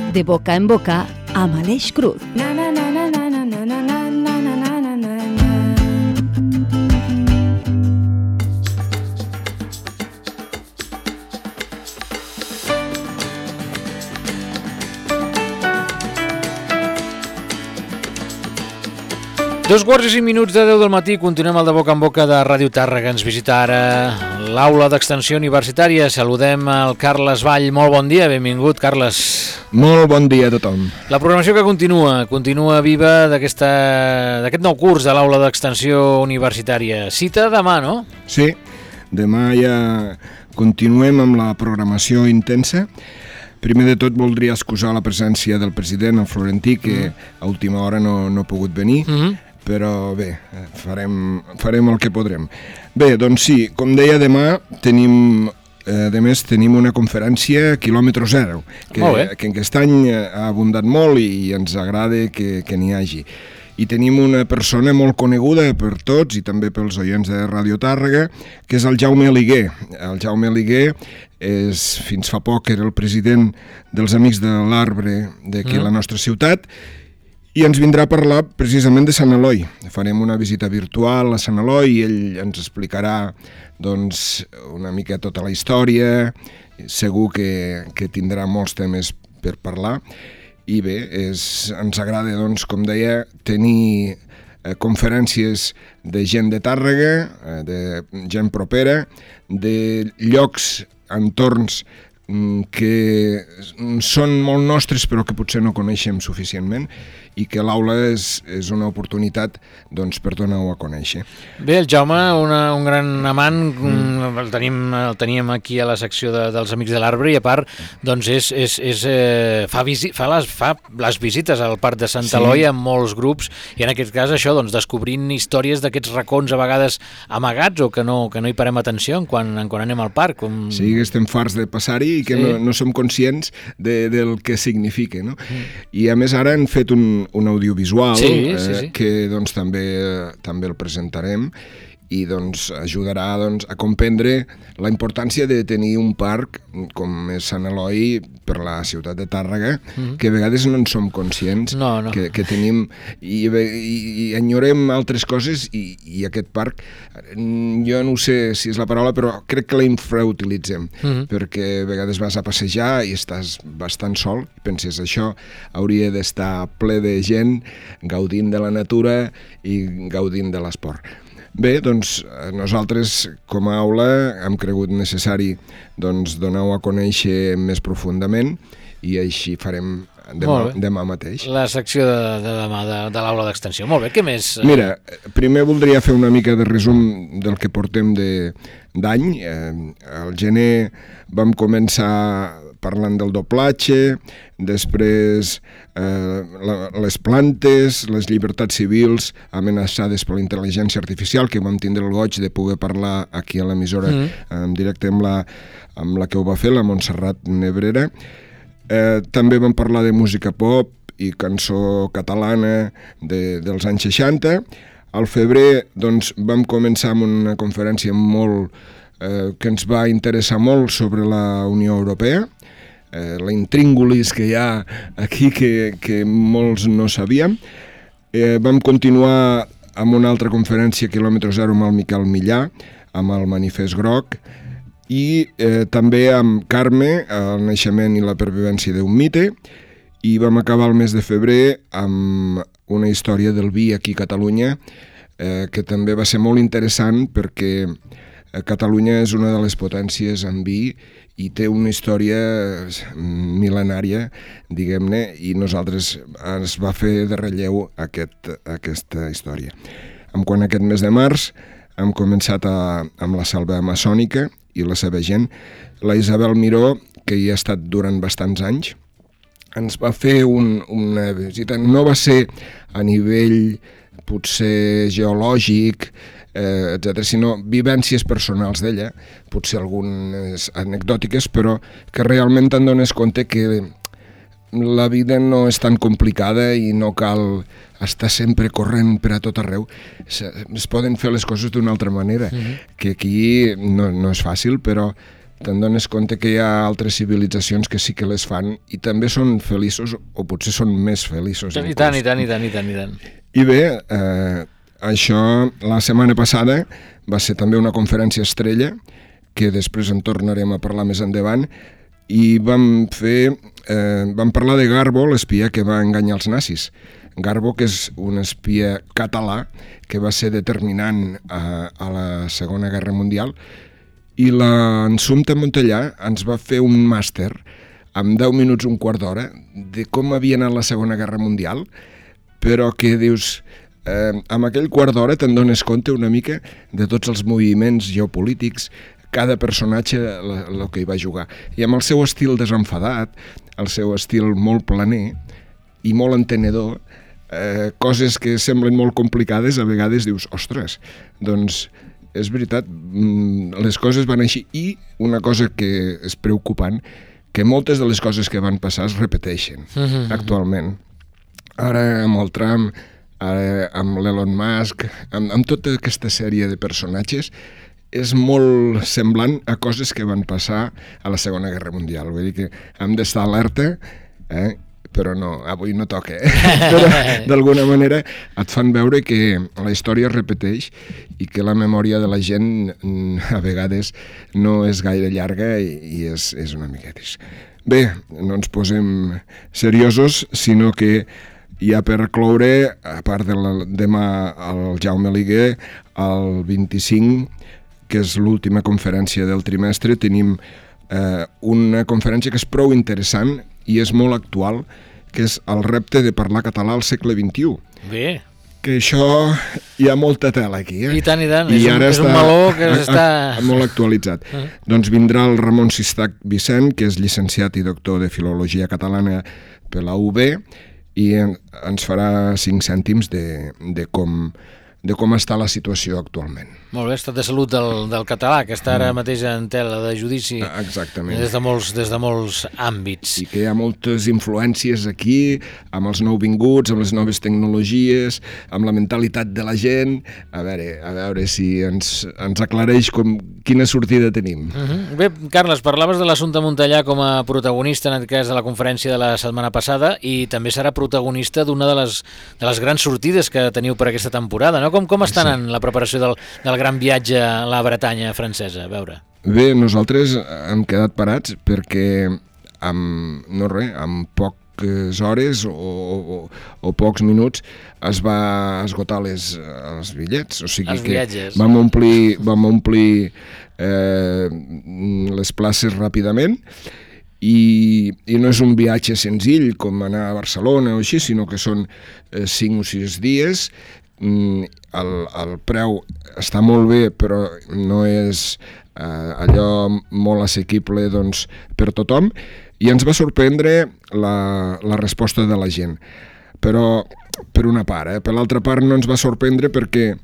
De boca en boca amb Aleix Cruz. Dos quarts i 5 minuts de 10 del matí, continuem el de boca en boca de Ràdio Tàrrega. Ens visita ara l'aula d'extensió universitària. Saludem al Carles Vall. Molt bon dia, benvingut, Carles. Molt bon dia a tothom. La programació que continua viva d'aquest nou curs de l'aula d'extensió universitària. Cita demà, no? Sí, demà ja continuem amb la programació intensa. Primer de tot voldria excusar la presència del president, el Florentí, que a última hora no ha pogut venir, però bé, farem el que podrem. Bé, doncs sí, com deia, demà tenim una conferència quilòmetre zero, que aquest any ha abundat molt i ens agrada que n'hi hagi. I tenim una persona molt coneguda per tots i també pels oients de Ràdio Tàrrega, que és el Jaume Aliguer. El Jaume Aliguer fins fa poc era el president dels Amics de l'Arbre d'aquí a la nostra ciutat i ens vindrà a parlar precisament de Sant Eloi. Farem una visita virtual a Sant Eloi i ell ens explicarà doncs, una mica tota la història. Segur que tindrà molts temes per parlar. I bé, ens agrada, doncs, com deia, tenir conferències de gent de Tàrrega, de gent propera, de llocs, entorns que són molt nostres però que potser no coneixem suficientment i que l'aula és una oportunitat doncs, per donar-ho a conèixer. Bé, el Jaume, un gran amant, el teníem aquí a la secció dels Amics de l'Arbre i a part doncs fa les visites al Parc de Sant Eloi amb molts grups i en aquest cas això, doncs, descobrint històries d'aquests racons a vegades amagats o que no hi parem atenció quan anem al parc. Sí, que estem farts de passar-hi i que no som conscients del que significa, no? I a més ara han fet un audiovisual que doncs, també el presentarem i doncs, ajudarà a comprendre la importància de tenir un parc com és Sant Eloi per la ciutat de Tàrrega, que a vegades no en som conscients que tenim i enyorem altres coses i aquest parc, jo no sé si és la paraula, però crec que la infrautilitzem, perquè a vegades vas a passejar i estàs bastant sol i penses això hauria d'estar ple de gent gaudint de la natura i gaudint de l'esport. Bé, doncs nosaltres com a aula hem cregut necessari donar-ho a conèixer més profundament i així farem demà mateix. La secció de demà de l'aula d'extensió. Molt bé, què més? Mira, primer voldria fer una mica de resum del que portem d'any. Al gener vam començar parlant del doblatge, després les plantes, les llibertats civils amenaçades per la intel·ligència artificial, que vam tindre el goig de poder parlar aquí a l'emissora en directe amb la que ho va fer, la Montserrat Nebrera. També vam parlar de música pop i cançó catalana dels anys 60. Al febrer doncs, vam començar amb una conferència que ens va interessar molt sobre la Unió Europea, la intríngulis que hi ha aquí que molts no sabíem. Vam continuar amb una altra conferència quilòmetre zero amb el Miquel Millà, amb el Manifest Groc, i també amb Carme, el naixement i la pervivència d'un mite, i vam acabar el mes de febrer amb una història del vi aquí a Catalunya, que també va ser molt interessant perquè Catalunya és una de les potències en vi i té una història mil·lenària, diguem-ne, i nosaltres ens va fer de relleu aquesta història. Quant a aquest mes de març, hem començat amb la selva amazònica i la seva gent. La Isabel Miró, que hi ha estat durant bastants anys, ens va fer una visita. No va ser a nivell potser geològic, etc., sinó vivències personals d'ella, potser algunes anecdòtiques, però que realment te'n dones compte que la vida no és tan complicada i no cal estar sempre corrent per a tot arreu. Es poden fer les coses d'una altra manera, que aquí no és fàcil, però te'n dones compte que hi ha altres civilitzacions que sí que les fan i també són feliços, o potser són més feliços. I tant. I bé, això la setmana passada va ser també una conferència estrella, que després en tornarem a parlar més endavant, i vam parlar de Garbo, l'espia que va enganyar els nazis. Garbo, que és un espia català que va ser determinant a la Segona Guerra Mundial, i l'Assumpta Montellà ens va fer un màster amb 10 minuts, un quart d'hora, de com havia anat la Segona Guerra Mundial, però que dius, amb aquell quart d'hora te'n dones compte una mica de tots els moviments geopolítics, cada personatge el que hi va jugar. I amb el seu estil desenfadat, el seu estil molt planer i molt entenedor, coses que semblen molt complicades, a vegades dius, ostres, doncs és veritat, les coses van així. I una cosa que és preocupant, que moltes de les coses que van passar es repeteixen actualment. Ara amb el Trump, ara amb l'Elon Musk, amb tota aquesta sèrie de personatges, és molt semblant a coses que van passar a la Segona Guerra Mundial. Vull dir que hem d'estar alerta, però no, avui no toca. Però d'alguna manera et fan veure que la història es repeteix i que la memòria de la gent a vegades no és gaire llarga i és una miqueta. Bé, no ens posem seriosos, sinó que ja per cloure, a part de demà el Jaume Liguer, el 25, que és l'última conferència del trimestre, tenim una conferència que és prou interessant i és molt actual, que és el repte de parlar català al segle XXI. Bé. Que això hi ha molta tela aquí. I tant. És un meló que està molt actualitzat. Doncs vindrà el Ramon Sistac Vicent, que és llicenciat i doctor de Filologia Catalana per la UB, i ens farà 5 cèntims de com està la situació actualment. Molt bé, estat de salut del català, que està ara mateix en tela de judici. Exactament. Des de molts àmbits. I que hi ha moltes influències aquí, amb els nouvinguts, amb les noves tecnologies, amb la mentalitat de la gent. A veure si ens aclareix quina sortida tenim. Bé, Carles, parlaves de l'Assumpta Montellà com a protagonista, en aquest cas, de la conferència de la setmana passada, i també serà protagonista d'una de les grans sortides que teniu per aquesta temporada, no? Com està anant la preparació del gran viatge a la Bretanya francesa? A veure. Bé, nosaltres hem quedat parats perquè amb poques hores o pocs minuts es va esgotar els bitllets. O sigui els que viatges. Vam omplir les places ràpidament i no és un viatge senzill com anar a Barcelona o així, sinó que són 5 o 6 dies. El preu està molt bé, però no és allò molt assequible doncs, per tothom, i ens va sorprendre la resposta de la gent. Però per una part, per l'altra part no ens va sorprendre perquè,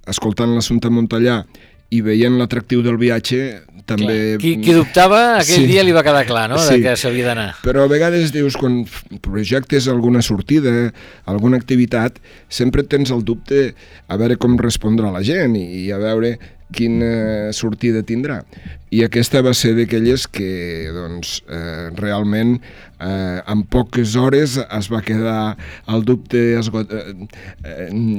escoltant l'Assumpta Montellà i veient l'atractiu del viatge, també... Qui dubtava, aquell dia li va quedar clar, no?, de que s'havia d'anar. Però a vegades dius, quan projectes alguna sortida, alguna activitat, sempre tens el dubte a veure com respondrà la gent i a veure quina sortida tindrà. I aquesta va ser d'aquelles que, doncs, realment, en poques hores es va quedar el dubte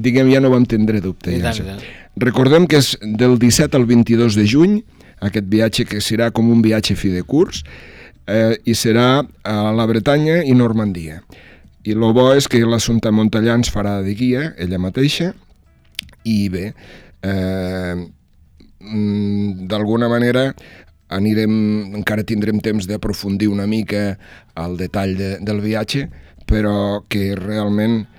diguem, ja no vam tindre dubte. Recordem que és del 17 al 22 de juny, aquest viatge que serà com un viatge fi de curs, i serà a la Bretanya i Normandia. I el bo és que l'Assumpta Montellà ens farà de guia, ella mateixa, i bé, d'alguna manera encara tindrem temps d'aprofundir una mica el detall del viatge, però que realment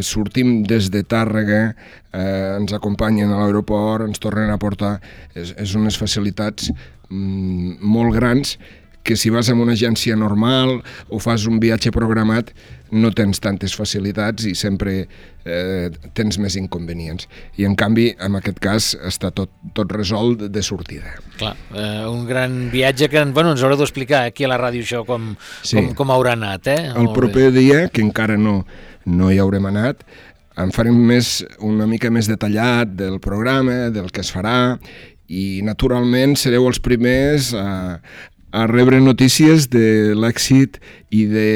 sortim des de Tàrrega, ens acompanyen a l'aeroport, ens tornen a portar, és unes facilitats molt grans que si vas amb una agència normal o fas un viatge programat no tens tantes facilitats i sempre tens més inconvenients. I en canvi, en aquest cas, està tot resolt de sortida. Clar, un gran viatge que ens haureu d'explicar aquí a la ràdio això com haurà anat. El proper dia, que encara no hi haurem anat, en farem una mica més detallat del programa, del que es farà, i naturalment sereu els primers a rebre notícies de l'èxit i de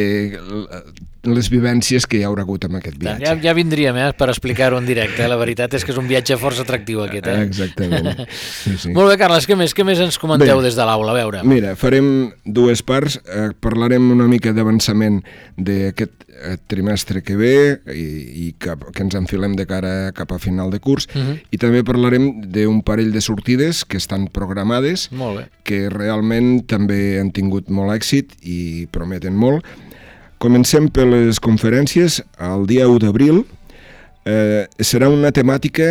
les vivències que hi haurà hagut amb aquest viatge. Ja vindríem per explicar-ho en directe. La veritat és que és un viatge força atractiu aquest. Exactament. Sí. Molt bé, Carles, què més ens comenteu des de l'aula? A veure. Mira, farem dues parts. Parlarem una mica d'avançament d'aquest trimestre que ve i que ens enfilem de cara cap a final de curs, i també parlarem d'un parell de sortides que estan programades, que realment també han tingut molt èxit i prometen molt. Comencem per les conferències. El dia 1 d'abril serà una temàtica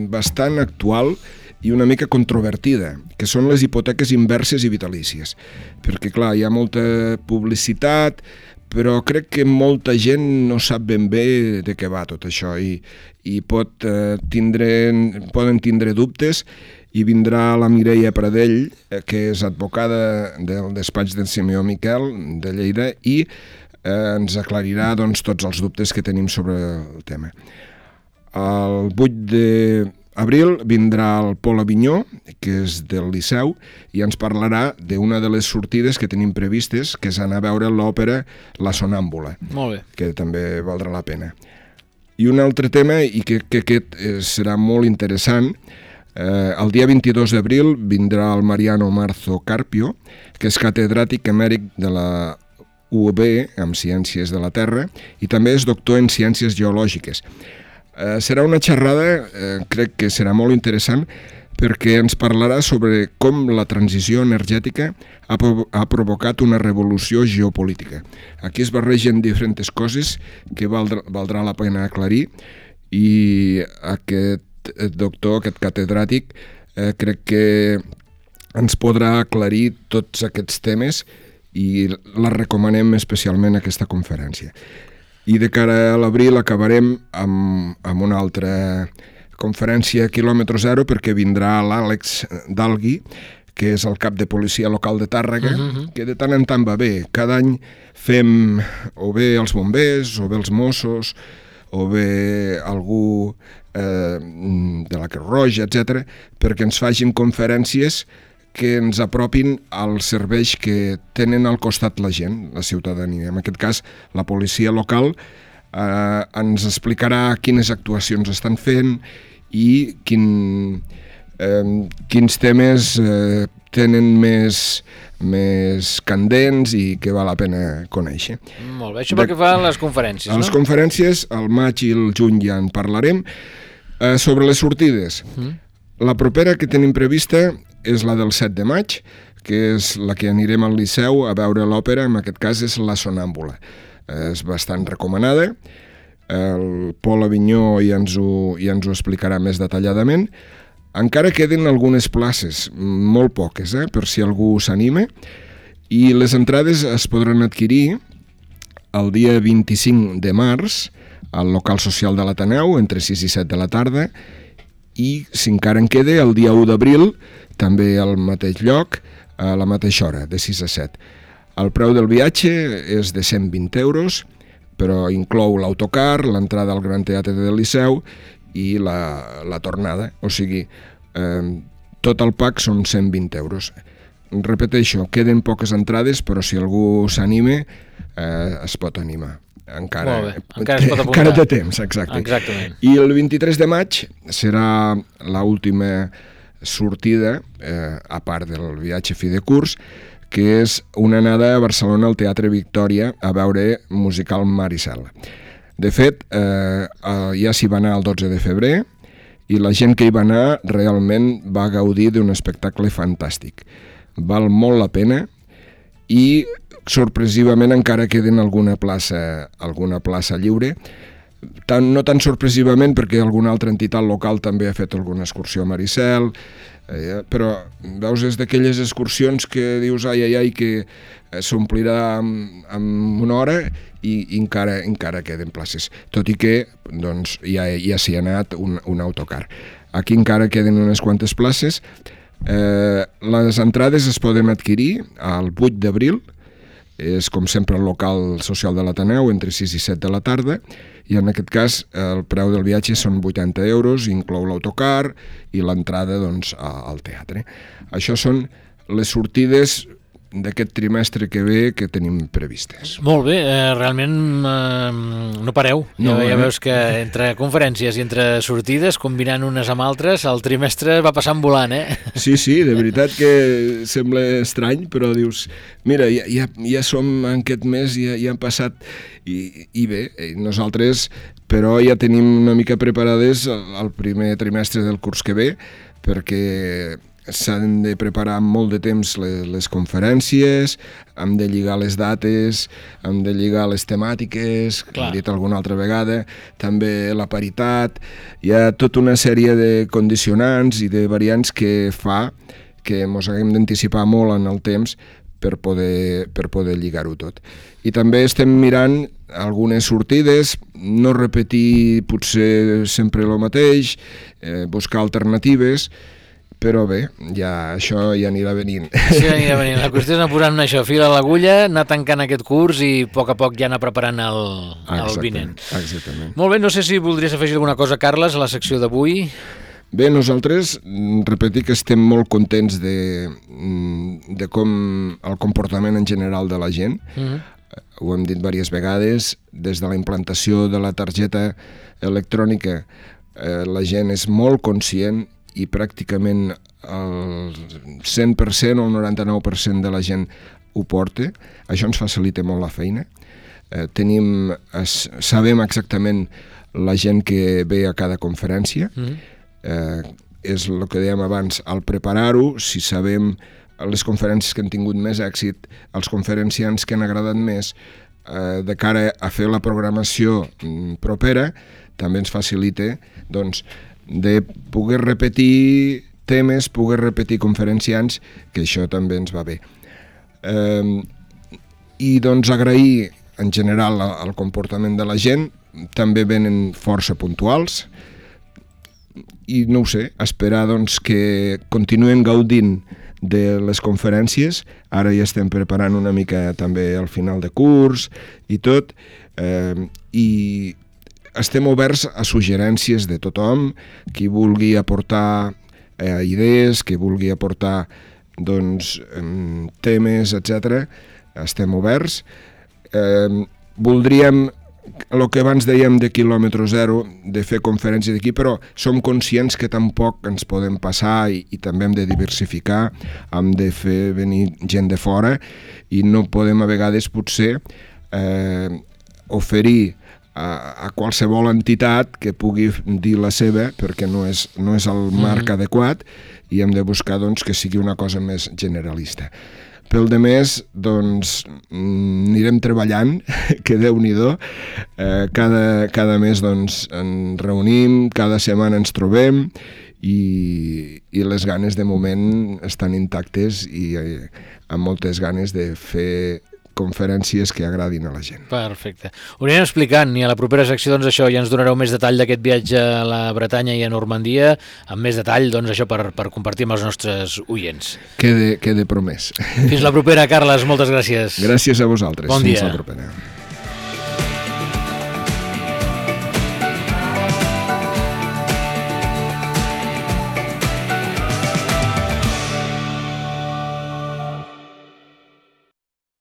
bastant actual i una mica controvertida, que són les hipoteques inverses i vitalícies. Perquè, clar, hi ha molta publicitat, però crec que molta gent no sap ben bé de què va tot això i poden tindre dubtes, i vindrà la Mireia Pradell, que és advocada del despatx d'en Simeó Miquel de Lleida, i ens aclarirà tots els dubtes que tenim sobre el tema. El 8 d'abril vindrà el Pol Avinyó, que és del Liceu, i ens parlarà d'una de les sortides que tenim previstes, que és anar a veure l'òpera La Sonàmbula, que també valdrà la pena. I un altre tema, i que aquest serà molt interessant, el dia 22 d'abril vindrà el Mariano Marzo Carpio, que és catedràtic emèrit de la UOB en Ciències de la Terra i també és doctor en Ciències Geològiques. Serà una xerrada, crec que serà molt interessant, perquè ens parlarà sobre com la transició energètica ha provocat una revolució geopolítica. Aquí es barregen diferents coses que valdrà la pena aclarir, i aquest doctor, aquest catedràtic, crec que ens podrà aclarir tots aquests temes i la recomanem especialment aquesta conferència. I de cara a l'abril acabarem amb una altra conferència a quilòmetre zero, perquè vindrà l'Àlex Dalgui, que és el cap de policia local de Tàrrega, que de tant en tant va bé. Cada any fem o bé els bombers, o bé els Mossos, o bé algú de la Creu Roja, etc., perquè ens facin conferències que ens apropin als serveis que tenen al costat la gent, la ciutadania. En aquest cas, la policia local ens explicarà quines actuacions estan fent i quins temes tenen més candents i que val la pena conèixer. Molt bé, això pel que fa a les conferències, no? A les conferències, al maig i el juny ja en parlarem. Sobre les sortides, la propera que tenim prevista és la del 7 de maig, que és la que anirem al Liceu a veure l'òpera, en aquest cas és La Sonàmbula. És bastant recomanada, el Pol Avinyó ja ens ho explicarà més detalladament. Encara queden algunes places, molt poques, per si algú s'anima, i les entrades es podran adquirir el dia 25 de març al local social de l'Ateneu, entre 6 i 7 de la tarda, i si encara en queda, el dia 1 d'abril, també al mateix lloc, a la mateixa hora, de 6 a 7. El preu del viatge és de 120 euros, però inclou l'autocar, l'entrada al Gran Teatre del Liceu i la tornada, o sigui, tot el pack són 120 euros. Repeteixo, queden poques entrades, però si algú s'anima, es pot animar. Encara es pot apuntar. Encara té temps, exacte. Exactament. I el 23 de maig serà l'última sortida, a part del viatge fi de curs, que és una anada a Barcelona al Teatre Victòria a veure musical Maricel. De fet, ja s'hi va anar el 12 de febrer i la gent que hi va anar realment va gaudir d'un espectacle fantàstic. Val molt la pena i sorpresivament encara queden alguna plaça lliure, no tan sorpresivament perquè alguna altra entitat local també ha fet alguna excursió a Maricel, però veus, és d'aquelles excursions que dius ai, que s'omplirà en una hora i encara queden places, tot i que doncs, ja s'hi ha anat un autocar. Aquí encara queden unes quantes places. Les entrades es poden adquirir el 8 d'abril és com sempre el local social de l'Ateneu, entre 6 i 7 de la tarda, i en aquest cas el preu del viatge són 80 euros, inclou l'autocar i l'entrada doncs, al teatre. Això són les sortides d'aquest trimestre que ve que tenim previstes. Molt bé, realment no pareu. No, ja veus que entre conferències i entre sortides, combinant unes amb altres, el trimestre va passant volant, eh? Sí, de veritat que sembla estrany, però dius, mira, ja som en aquest mes, ja han passat, i bé, nosaltres però ja tenim una mica preparades el primer trimestre del curs que ve, perquè s'han de preparar amb molt de temps les conferències, hem de lligar les dates, hem de lligar les temàtiques, com he dit alguna altra vegada, també la paritat, hi ha tota una sèrie de condicionants i de variants que fa que ens haguem d'anticipar molt en el temps per poder lligar-ho tot. I també estem mirant algunes sortides, no repetir potser sempre el mateix, buscar alternatives, però bé, això ja anirà venint. Sí, anirà venint. La qüestió és anar posant això, fil a l'agulla, anar tancant aquest curs i a poc ja anar preparant el vinent. Exactament. Molt bé, no sé si voldries afegir alguna cosa, Carles, a la secció d'avui. Bé, nosaltres, repetir que estem molt contents de com el comportament en general de la gent. Ho hem dit diverses vegades, des de la implantació de la targeta electrònica la gent és molt conscient i pràcticament el 100% o el 99% de la gent ho porta. Això ens facilita molt la feina. Sabem exactament la gent que ve a cada conferència. És el que dèiem abans, al preparar-ho, si sabem les conferències que han tingut més èxit, els conferenciants que han agradat més, de cara a fer la programació propera, també ens facilita doncs, de poder repetir temes, poder repetir conferenciants, que això també ens va bé. I doncs agrair en general el comportament de la gent, també venen força puntuals, i no ho sé, esperar doncs, que continuen gaudint de les conferències. Ara ja estem preparant una mica també el final de curs i tot, i estem oberts a suggerències de tothom, qui vulgui aportar idees, qui vulgui aportar doncs, temes, etc. Estem oberts. Voldríem, el que abans dèiem de quilòmetre zero, de fer conferències d'aquí, però som conscients que tampoc ens podem passar i també hem de diversificar, hem de fer venir gent de fora i no podem a vegades potser oferir a qualsevol entitat que pugui dir la seva, perquè no és el marc adequat, i hem de buscar doncs, que sigui una cosa més generalista. Pel demés, doncs, anirem treballant, que Déu-n'hi-do. Cada mes doncs, ens reunim, cada setmana ens trobem, i les ganes de moment estan intactes i amb moltes ganes de fer conferències que agradin a la gent. Perfecte. Ho anirem explicant i a la propera secció doncs això ja ens donareu més detall d'aquest viatge a la Bretanya i a Normandia, amb més detall doncs això per compartir amb els nostres oients. Quede promès. Fins la propera, Carles, moltes gràcies. Gràcies a vosaltres. Bon dia. Fins la propera.